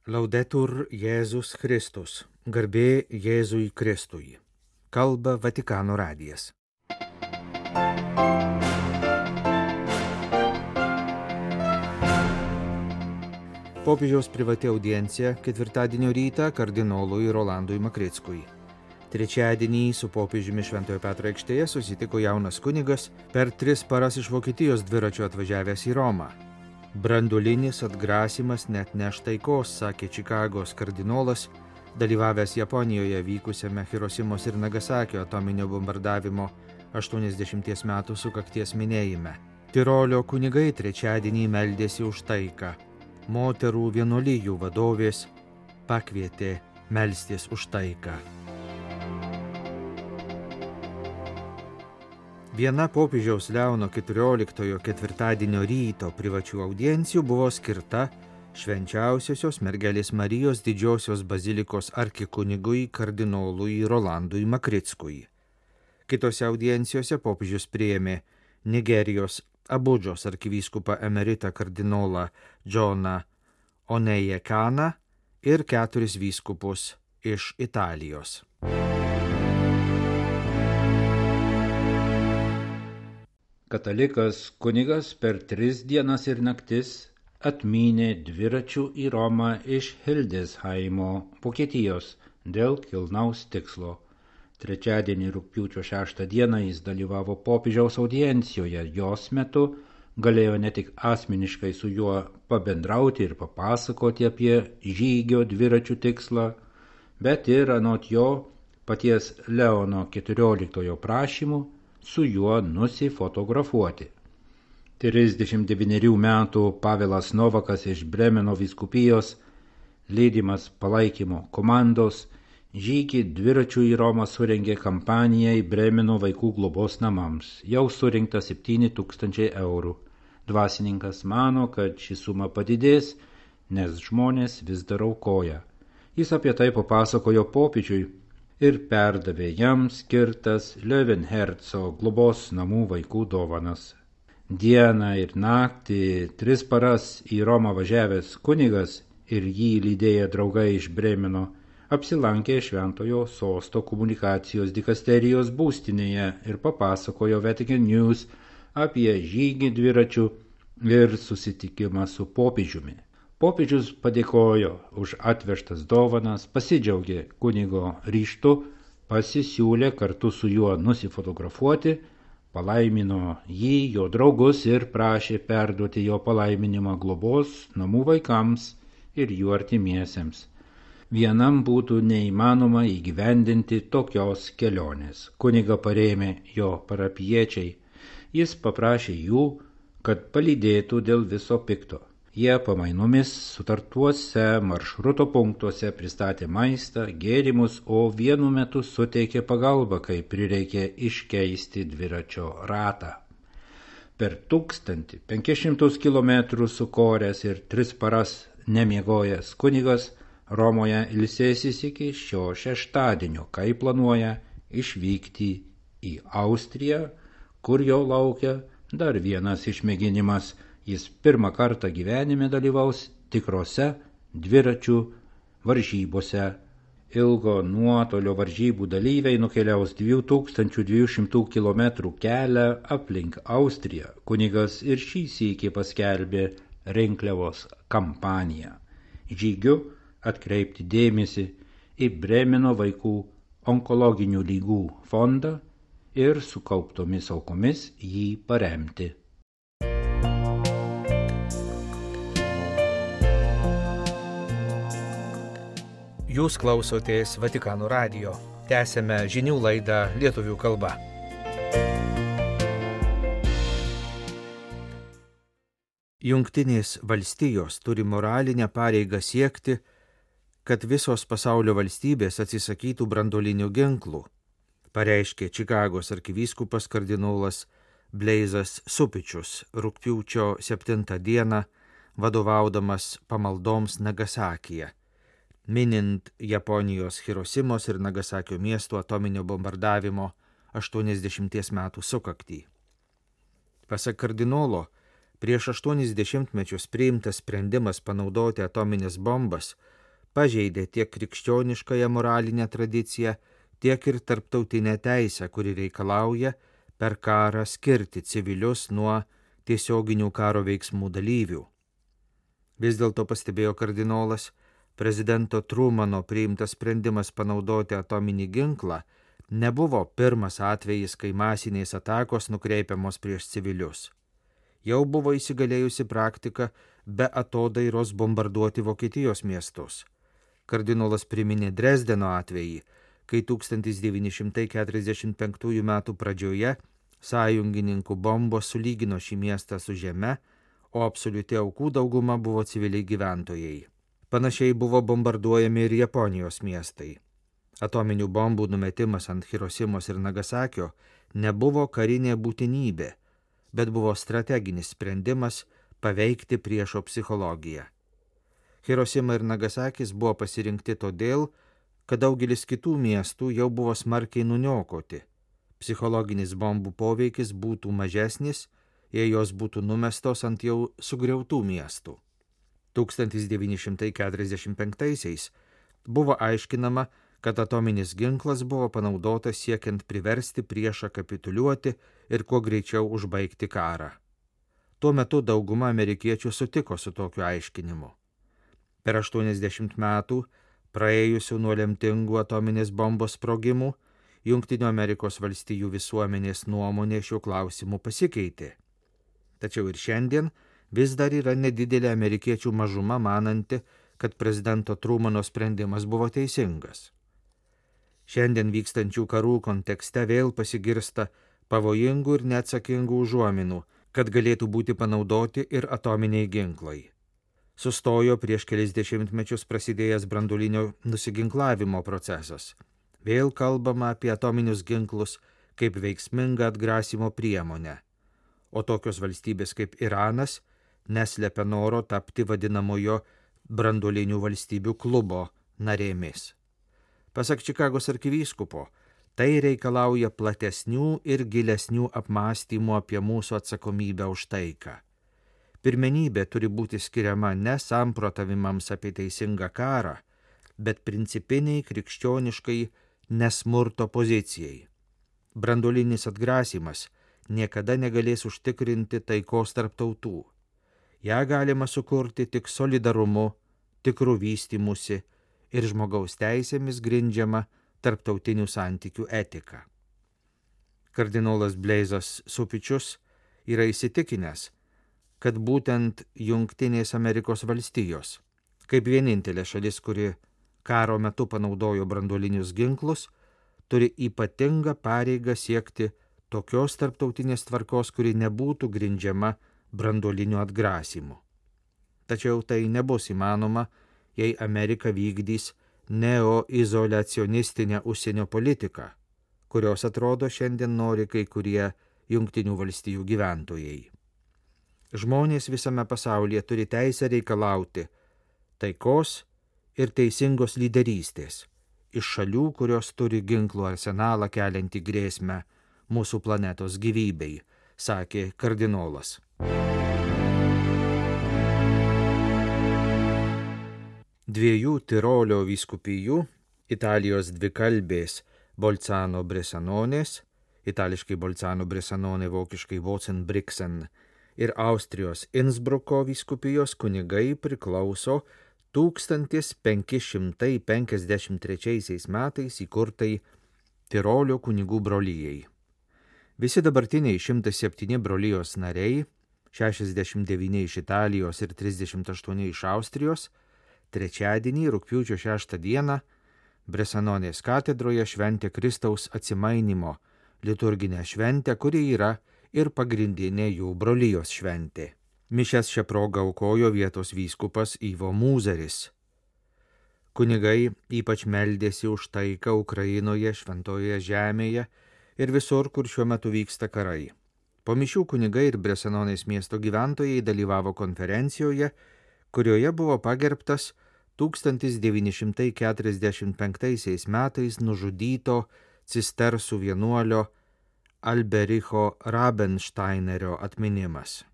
Laudetur Jėzus Kristus, garbė Jėzui Kristui. Kalba Vatikano radijas. Popiežiaus privati audiencija ketvirtadienio rytą kardinolui Rolandui Makrickui. Trečiadienį su popiežiumi Šventojo Petro aikštėje susitiko jaunas kunigas, per 3 paras iš Vokietijos dviračiu atvažiavęs į Romą. Branduolinis atgrasimas net neš taikos, sakė Čikagos kardinolas, dalyvavęs Japonijoje vykusiame Hirosimos ir Nagasakio atominio bombardavimo 80 metų sukakties minėjime. Tirolio kunigai trečiadienį meldėsi už taiką. Moterų vienuolijų vadovės pakvietė melstis už taiką. Viena popiežiaus Leono XIV ketvirtadienio ryto privačių audiencijų buvo skirta Švenčiausiosios mergelės Marijos didžiosios bazilikos arkikunigui kardinolui Rolandui Makrickui. Kitose audiencijose popiežius priėmė Nigerijos Abudžos arkivyskupą emeritą kardinolą Džoną Onejekaną ir 4 vyskupus iš Italijos. Katalikas kunigas per 3 dienas ir naktis atmynė dviračių į Romą iš Hildesheimo, Vokietijos, dėl kilnaus tikslo. Trečiadienį rugpjūčio 6 dieną jis dalyvavo popiežiaus audiencijoje. Jos metu galėjo ne tik asmeniškai su juo pabendrauti ir papasakoti apie žygio dviračių tikslą, bet ir anot jo paties Leono XIV prašymu su juo nusifotografuoti. 39 metų Pavelas Novakas iš Bremeno vyskupijos, lydimas palaikymo komandos, žygį dviračių į Romą surengė kampanijai Bremeno vaikų globos namams. Jau surinkta 7 000 eurų. Dvasininkas mano, kad ši suma padidės, nes žmonės vis dar aukoja. Jis apie tai papasakojo popiežiui ir perdavė jam skirtas Löwenherzo globos namų vaikų dovanas. Dieną ir naktį 3 paras į Romą važiavęs kunigas ir jį lydėję draugai iš Bremeno apsilankė Šventojo sosto komunikacijos dikasterijos būstinėje ir papasakojo Vatican News apie žygį dviračių ir susitikimą su popiežiumi. Popiežius padėkojo už atvežtas dovanas, pasidžiaugė kunigo ryžtu, pasisiūlė kartu su juo nusifotografuoti, palaimino jį, jo draugus ir prašė perduoti jo palaiminimą globos namų vaikams ir jų artimiesiems. Vienam būtų neįmanoma įgyvendinti tokios kelionės. Kunigą parėmė jo parapijiečiai. Jis paprašė jų, kad palydėtų dėl viso pikto. Jie pamainomis sutartuose maršruto punktuose pristatė maistą, gėrimus, o vienu metu suteikė pagalbą, kai prireikė iškeisti dviračio ratą. Per 1500 km sukoręs ir 3 paras nemiegojęs kunigas Romoje ilsėsis iki šio šeštadienio, kai planuoja išvykti į Austriją, kur jo laukia dar vienas išmėginimas. Jis pirmą kartą gyvenime dalyvaus tikrose dviračių varžybose. Ilgo nuotolio varžybų dalyviai nukeliaus 2200 km kelią aplink Austriją. Kunigas ir šį sykį paskelbė rinkliavos kampaniją. Žygiu atkreipti dėmesį į Bremeno vaikų onkologinių ligų fondą ir sukauptomis aukomis jį paremti. Jūs klausotės Vatikano radijo. Tęsėme žinių laidą lietuvių kalba. Jungtinės valstijos turi moralinę pareigą siekti, kad visos pasaulio valstybės atsisakytų branduolinių ginklų, pareiškė Čikagos arkivyskupas kardinolas Bleizas Supičius rugpjūčio 7 dieną, vadovaudamas pamaldoms Nagasakyje, minint Japonijos Hirosimos ir Nagasakio miestų atominio bombardavimo 80 metų sukaktį. Pasak kardinolo, Prieš 80 mečius priimtas sprendimas panaudoti atominės bombas pažeidė tiek krikščioniškąją moralinę tradiciją, tiek ir tarptautinę teisę, kuri reikalauja per karą skirti civilius nuo tiesioginių karo veiksmų dalyvių. Vis dėlto, pastebėjo kardinolas, prezidento Trumano priimtas sprendimas panaudoti atominį ginklą nebuvo pirmas atvejis, kai masinės atakos nukreipiamos prieš civilius. Jau buvo įsigalėjusi praktika be atodairos bombarduoti Vokietijos miestus. Kardinolas priminė Dresdeno atvejį, kai 1945 m. pradžioje sąjungininkų bombos sulygino šį miestą su žeme, o absoliuti aukų dauguma buvo civiliai gyventojai. Panašiai buvo bombarduojami ir Japonijos miestai. Atominių bombų numetimas ant Hirosimos ir Nagasakio nebuvo karinė būtinybė, bet buvo strateginis sprendimas paveikti priešo psichologiją. Hirosima ir Nagasakis buvo pasirinkti todėl, kad daugelis kitų miestų jau buvo smarkiai nuniokoti. Psichologinis bombų poveikis būtų mažesnis, jei jos būtų numestos ant jau sugriautų miestų. 1945-aisiais buvo aiškinama, kad atominis ginklas buvo panaudotas siekiant priversti priešą kapituliuoti ir kuo greičiau užbaigti karą. Tuo metu dauguma amerikiečių sutiko su tokiu aiškinimu. Per 80 metų, praėjusių nuo lemtingų atominės bombos sprogimų, Jungtinių Amerikos valstijų visuomenės nuomonė šiuo klausimu pasikeitė. Tačiau ir šiandien vis dar yra nedidelė amerikiečių mažuma mananti, kad prezidento Trumano sprendimas buvo teisingas. Šiandien vykstančių karų kontekste vėl pasigirsta pavojingų ir neatsakingų užuominų, kad galėtų būti panaudoti ir atominiai ginklai. Sustojo prieš kelis dešimtmečius prasidėjęs branduolinio nusiginklavimo procesas. Vėl kalbama apie atominius ginklus kaip veiksmingą atgrasymo priemonę, o tokios valstybės kaip Iranas neslepia noro tapti vadinamojo branduolinių valstybių klubo narėmis. Pasak Čikagos arkivyskupo, tai reikalauja platesnių ir gilesnių apmąstymų apie mūsų atsakomybę už taiką. Pirmenybė turi būti skiriama ne samprotavimams apie teisingą karą, bet principiniai krikščioniškai nesmurto pozicijai. Branduolinis atgrasymas niekada negalės užtikrinti taikos tarp tautų. Ja galima sukurti tik solidarumu, tikrų vystymusi ir žmogaus teisėmis grindžiama tarptautinių santykių etika. Kardinolas Bleizas Supičius yra įsitikinęs, kad būtent Jungtinės Amerikos valstijos, kaip vienintelė šalis, kuri karo metu panaudojo branduolinius ginklus, turi ypatingą pareigą siekti tokios tarptautinės tvarkos, kuri nebūtų grindžiama branduoliniu atgrasymu. Tačiau tai nebus įmanoma, jei Amerika vykdys neoizoliacionistinę užsienio politiką, kurios atrodo šiandien nori kai kurie Jungtinių valstijų gyventojai. Žmonės visame pasaulyje turi teisę reikalauti taikos ir teisingos lyderystės iš šalių, kurios turi ginklų arsenalą keliantį grėsmę mūsų planetos gyvybei, sakė kardinolas. Dviejų Tirolio vyskupijų, Italijos dvikalbės Bolzano Bresanonės, itališkai Bolzano Bresanone, vokiškai Bozen-Brixen, ir Austrijos Innsbruko vyskupijos kunigai priklauso 1553 metais įkurtai Tirolio kunigų brolijai. Visi dabartiniai 107 brolijos nariai, 69 iš Italijos ir 38 iš Austrijos, trečiadienį, rugpjūčio 6 dieną, Bresanonės katedroje šventė Kristaus atsimainimo liturginę šventę, kuri yra ir pagrindinė jų brolijos šventė. Mišias šią progą aukojo vietos vyskupas Ivo Mūzeris. Kunigai ypač meldėsi už taiką Ukrainoje, Šventojoje žemėje ir visur, kur šiuo metu vyksta karai. Po mišių kunigai ir Bresanonės miesto gyventojai dalyvavo konferencijoje, kurioje buvo pagerbtas 1945 metais nužudyto cistersų vienuolio Albericho Rabensteinerio atminimas.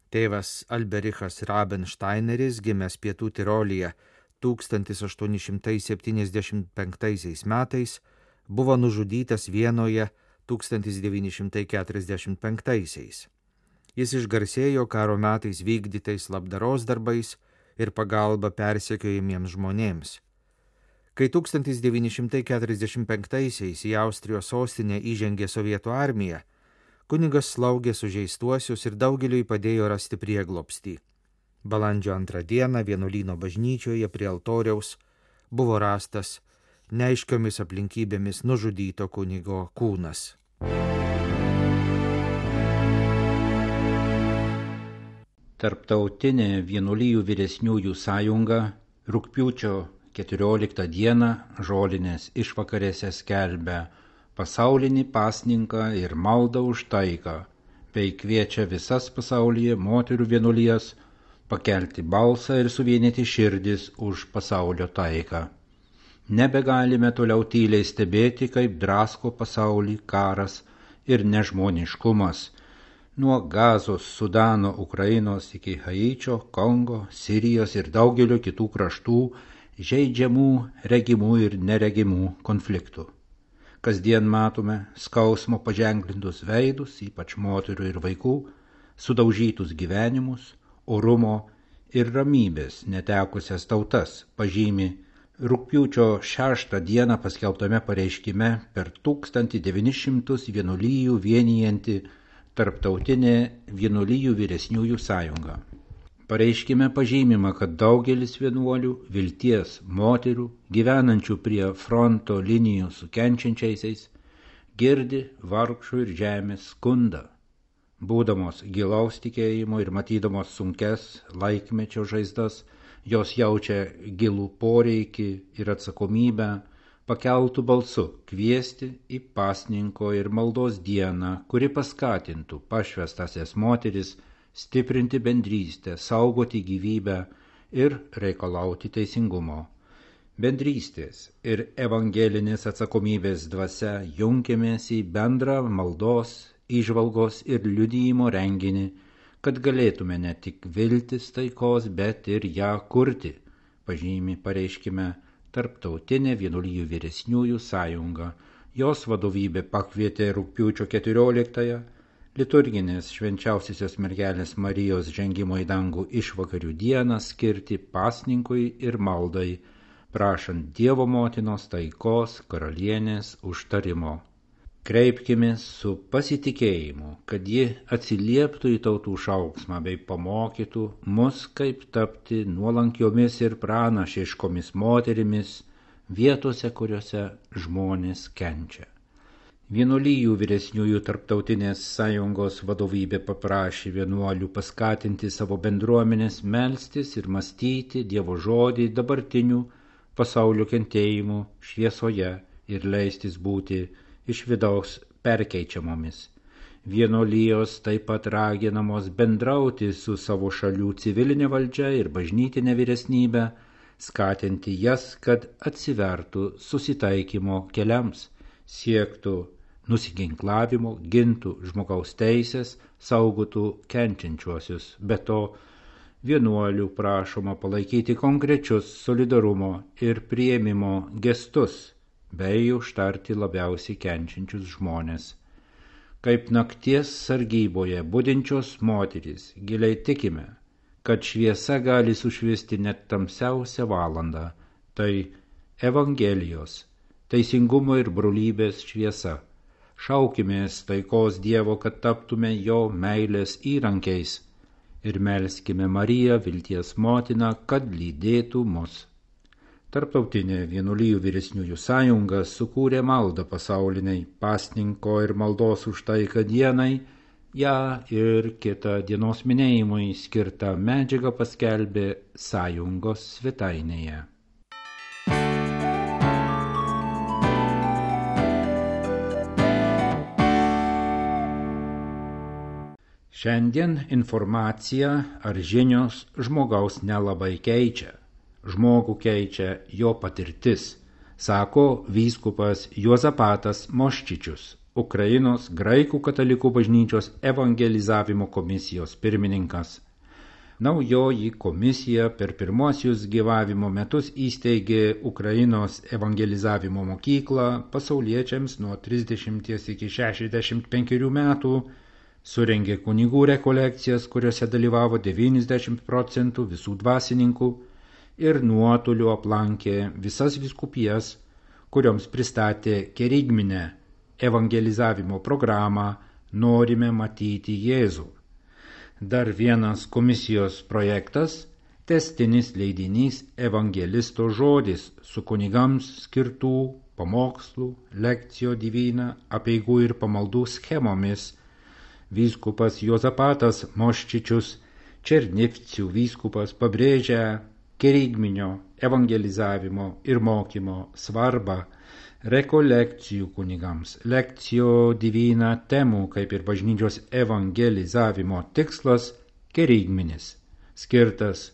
Tėvas Alberichas Rabensteineris, gimęs Pietų Tirolyje 1875 metais, buvo nužudytas Vienoje 1945. Jis išgarsėjo karo metais vykdytais labdaros darbais ir pagalba persekiojamiems žmonėms. Kai 1945 į Austrijos sostinę įžengė sovietų armija, kunigas slaugė sužeistuosius ir daugeliui padėjo rasti prieglobstį. Balandžio 2 dieną vienuolyno bažnyčioje prie altoriaus buvo rastas neaiškiomis aplinkybėmis nužudyto kunigo kūnas. Tarptautinė vienuolijų vyresniųjų sąjunga rugpjūčio 14 dieną žolinės išvakarėse skelbia pasaulinį pasninką ir maldą už taiką, bei kviečia visas pasaulyje moterų vienuolijas pakelti balsą ir suvienyti širdis už pasaulio taiką. Nebegalime toliau tyliai stebėti, kaip drasko pasaulį karas ir nežmoniškumas. Nuo Gazos, Sudano, Ukrainos iki Haičio, Kongo, Sirijos ir daugelio kitų kraštų žeidžiamų, regimų ir neregimų konfliktų. Kasdien matome skausmo paženklintus veidus, ypač moterų ir vaikų, sudaužytus gyvenimus, orumo ir ramybės netekusias tautas, pažymi rugpjūčio 6 dieną paskelbtame pareiškime per 1900 vienuolijų vienijanti Tarptautinė vienuolijų vyresniųjų sąjunga. Pareiškime pažymima, kad daugelis vienuolių, vilties moterų, gyvenančių prie fronto linijų su kenčiančiaisiais, girdi vargšų ir žemės skundą. Būdamos gilaus tikėjimo ir matydamos sunkes laikmečio žaizdas, jos jaučia gilų poreikį ir atsakomybę pakeltų balsu kviesti į pasninko ir maldos dieną, kuri paskatintų pašvęstąsias moteris stiprinti bendrystę, saugoti gyvybę ir reikalauti teisingumo. Bendrystės ir evangelinės atsakomybės dvasia junkėmės į bendrą maldos, įžvalgos ir liudijimo renginį, kad galėtume ne tik viltis taikos, bet ir ją kurti, pažymi pareiškime Tarptautinė vienuolijų vyresniųjų sąjunga. Jos vadovybė pakvietė rugpjūčio 14 liturginės švenčiausiosios mergelės Marijos žengimo į dangų išvakarių dieną skirti pasninkui ir maldai, prašant Dievo motinos taikos karalienės užtarimo. Kreipkimės su pasitikėjimu, kad ji atsilieptų į tautų šauksmą bei pamokytų mus, kaip tapti nuolankiomis ir pranašiškomis moterimis vietose, kuriuose žmonės kenčia. Vienuolijų vyresniųjų Tarptautinės sąjungos vadovybė paprašė vienuolių paskatinti savo bendruomenės melstis ir mąstyti Dievo žodį dabartinių pasaulio kentėjimų šviesoje ir leistis būti iš vidaus perkeičiamomis. Vienuolijos taip pat raginamos bendrauti su savo šalių civilinė valdžia ir bažnytinė vyresnybė, skatinti jas, kad atsivertų susitaikymo keliams, siektų nusiginklavimo, gintų žmogaus teisės, saugotų kenčiančiuosius. Be to, vienuolių prašoma palaikyti konkrečius solidarumo ir priėmimo gestus, bei užtarti labiausiai kenčiančius žmonės. Kaip nakties sargyboje budinčios moterys giliai tikime, kad šviesa gali sušviesti net tamsiausią valandą. Tai Evangelijos, teisingumo ir brolybės šviesa. Šaukimės taikos Dievo, kad taptume jo meilės įrankiais ir melskime Mariją, vilties motiną, kad lydėtų mus. Tarptautinė vienuolijų vyresniųjų sąjunga sukūrė maldą pasauliniai pasninko ir maldos už taiką dienai, ją ir kitą dienos minėjimui skirtą medžiagą paskelbė sąjungos svetainėje. Šiandien informacija ar žinios žmogaus nelabai keičia. Žmogų keičia jo patirtis, sako vyskupas Juozapatas Moščičius, Ukrainos graikų katalikų bažnyčios evangelizavimo komisijos pirmininkas. Naujoji komisija per pirmosius gyvavimo metus įsteigė Ukrainos evangelizavimo mokyklą pasauliečiams nuo 30 iki 65 metų, surengė kunigų rekolekcijas, kuriuose dalyvavo 90% visų dvasininkų ir nuotoliu aplankė visas vyskupijas, kurioms pristatė kerigminę evangelizavimo programą Norime matyti Jėzų. Dar vienas komisijos projektas – tęstinis leidinys Evangelisto žodis su kunigams skirtų pamokslų, lekcijo divina, apeigų ir pamaldų schemomis. Vyskupas Juozapatas Moščičius, Černivcių vyskupas, pabrėžia kerigminio evangelizavimo ir mokymo svarbą, rekolekcijų kunigams, lekcijo divina temų, kaip ir bažnyčios evangelizavimo tikslas kerigminis, skirtas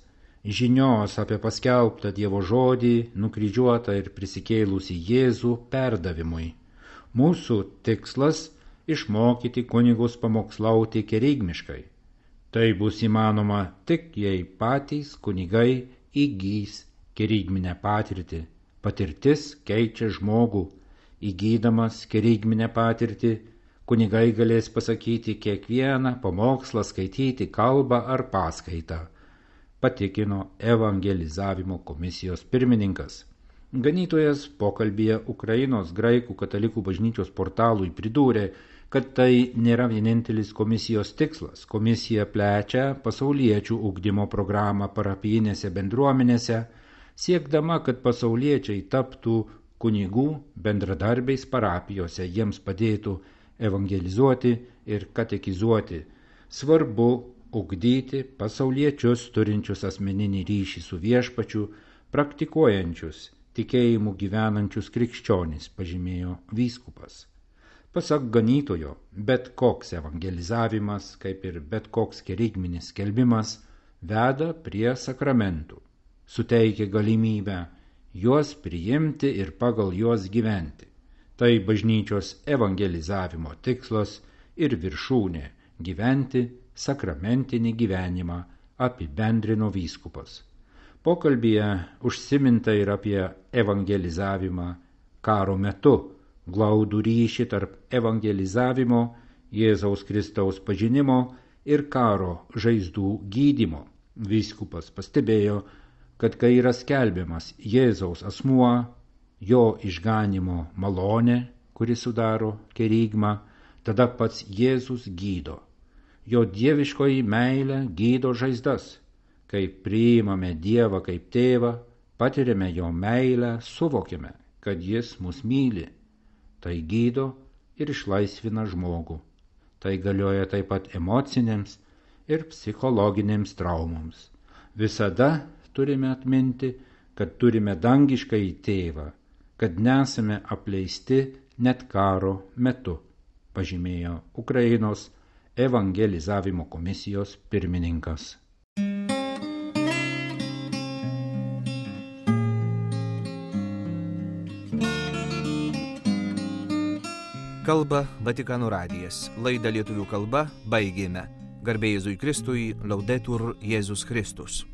žinios apie paskelbtą Dievo žodį, nukryžiuotą ir prisikėlusį Jėzų perdavimui. Mūsų tikslas – išmokyti kunigus pamokslauti kerigmiškai. Tai bus įmanoma tik, jei patys kunigai įgys kerigminę patirtį. Patirtis keičia žmogų. Įgydamas kerigminę patirtį, kunigai galės pasakyti kiekvieną pamokslą, skaityti kalbą ar paskaitą, patikino evangelizavimo komisijos pirmininkas. Ganytojas pokalbyje Ukrainos graikų katalikų bažnyčios portalui pridūrė, kad tai nėra vienintelis komisijos tikslas. Komisija plečia pasauliečių ugdymo programą parapijinėse bendruomenėse, siekdama, kad pasauliečiai taptų kunigų bendradarbiais parapijose, jiems padėtų evangelizuoti ir katekizuoti. Svarbu ugdyti pasauliečius turinčius asmeninį ryšį su viešpačiu, praktikuojančius, tikėjimu gyvenančius krikščionys, pažymėjo vyskupas. Pasak ganytojo, bet koks evangelizavimas, kaip ir bet koks kerigminis skelbimas, veda prie sakramentų. Suteikia galimybę juos priimti ir pagal juos gyventi. Tai bažnyčios evangelizavimo tikslas ir viršūnė – gyventi sakramentinį gyvenimą, apibendrino vyskupas. Pokalbyje užsiminta ir apie evangelizavimą karo metu, glaudų ryšį tarp evangelizavimo, Jėzaus Kristaus pažinimo ir karo žaizdų gydymo. Vyskupas pastebėjo, kad kai yra skelbiamas Jėzaus asmuo, jo išganimo malonė, kuri sudaro kerigmą, tada pats Jėzus gydo. Jo dieviškoji meilė gydo žaizdas. Kai priimame Dievą kaip tėvą, patiriame jo meilę, suvokiame, kad jis mus myli. Tai gydo ir išlaisvina žmogų. Tai galioja taip pat emocinėms ir psichologinėms traumoms. Visada turime atminti, kad turime dangiškąjį tėvą, kad nesame apleisti net karo metu, pažymėjo Ukrainos evangelizavimo komisijos pirmininkas. Kalba Vatikano radijas. Laidą lietuvių kalba baigėme. Garbė Jėzui Kristui, Laudetur Jėzus Kristus.